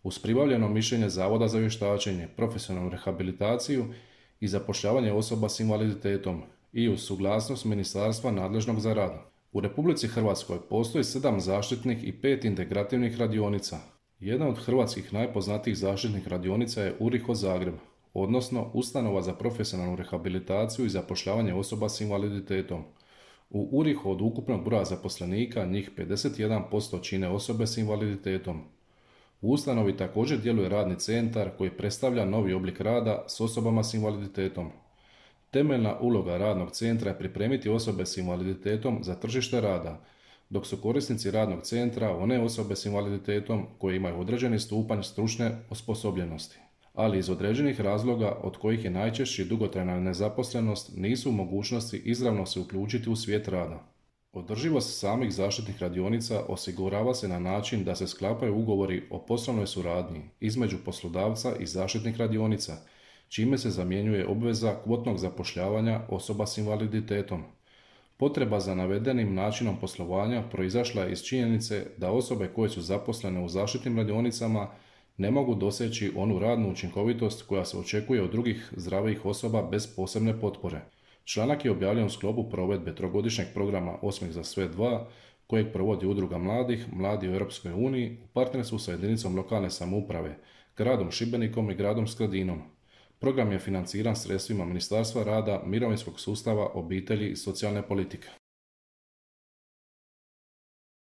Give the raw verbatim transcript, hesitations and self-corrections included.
uz pribavljeno mišljenje Zavoda za vještačenje, profesionalnu rehabilitaciju i zapošljavanje osoba s invaliditetom i uz suglasnost ministarstva nadležnog za rad. U Republici Hrvatskoj postoji sedam zaštitnih i pet integrativnih radionica. Jedna od hrvatskih najpoznatijih zaštitnih radionica je URIHO Zagreb, odnosno Ustanova za profesionalnu rehabilitaciju i zapošljavanje osoba s invaliditetom. U URIHO od ukupnog broja zaposlenika njih pedeset jedan posto čine osobe s invaliditetom. U ustanovi također djeluje radni centar koji predstavlja novi oblik rada s osobama s invaliditetom. Temeljna uloga radnog centra je pripremiti osobe s invaliditetom za tržište rada, dok su korisnici radnog centra one osobe s invaliditetom koje imaju određeni stupanj stručne osposobljenosti, ali iz određenih razloga od kojih je najčešći dugotrajna nezaposlenost nisu u mogućnosti izravno se uključiti u svijet rada. Održivost samih zaštitnih radionica osigurava se na način da se sklapaju ugovori o poslovnoj suradnji između poslodavca i zaštitnih radionica, čime se zamjenjuje obveza kvotnog zapošljavanja osoba s invaliditetom. Potreba za navedenim načinom poslovanja proizašla je iz činjenice da osobe koje su zaposlene u zaštitnim radionicama ne mogu doseći onu radnu učinkovitost koja se očekuje od drugih zdravijih osoba bez posebne potpore. Članak je objavljen u sklopu provedbe trogodišnjeg programa Osmijeh za sve dva, kojeg provodi Udruga mladih, Mladi u Europskoj uniji u partnerstvu sa jedinicom lokalne samouprave, gradom Šibenikom i gradom Skradinom. Program je financiran sredstvima Ministarstva rada, mirovinskog sustava, obitelji i socijalne politike.